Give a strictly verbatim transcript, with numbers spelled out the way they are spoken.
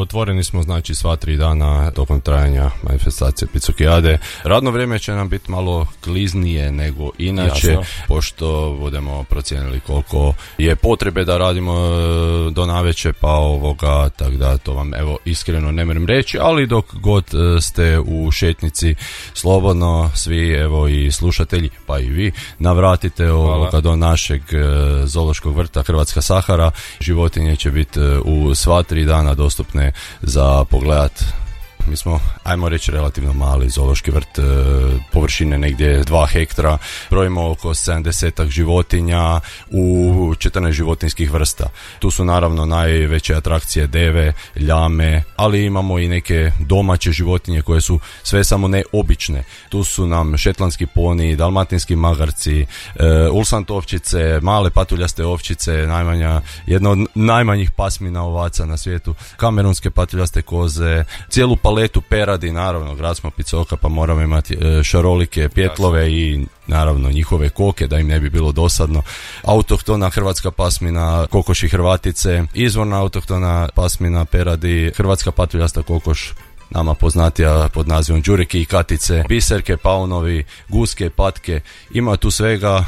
otvoreni smo znači sva tri dana tokom trajanja manifestacije Picokijade. Radno vrijeme će nam biti malo kliznije nego inače, jasno, pošto budemo procijenili koliko je potrebe da radimo do navečer, pa ovoga, tako da to vam evo iskreno ne moram reći, ali dok god ste u šetnici, slobodno svi, evo i slušatelji, pa i vi, navratite ovoga do našeg zoološkog vrta Hrvatska Sahara. Životinje će biti u sva tri dana dostupne za pogledat. Mi smo, ajmo reći, relativno mali zoološki vrt, površine negdje dva hektara, brojimo oko sedamdesetak životinja u četrnaest životinjskih vrsta. Tu su naravno najveće atrakcije deve, ljame, ali imamo i neke domaće životinje koje su sve samo ne obične. Tu su nam šetlanski poni, dalmatinski magarci, ulsant ovčice, male patuljaste ovčice, najmanja, jedna od najmanjih pasmina ovaca na svijetu, kamerunske patuljaste koze, cijelu paletu peradi, naravno, grad smo Picoka pa moramo imati šarolike pjetlove i naravno njihove koke da im ne bi bilo dosadno. Autohtona hrvatska pasmina kokoši hrvatice, izvorna autohtona pasmina peradi, hrvatska patuljasta kokoš, nama poznatija pod nazivom đureki i katice, biserke, paunovi, guske, patke, ima tu svega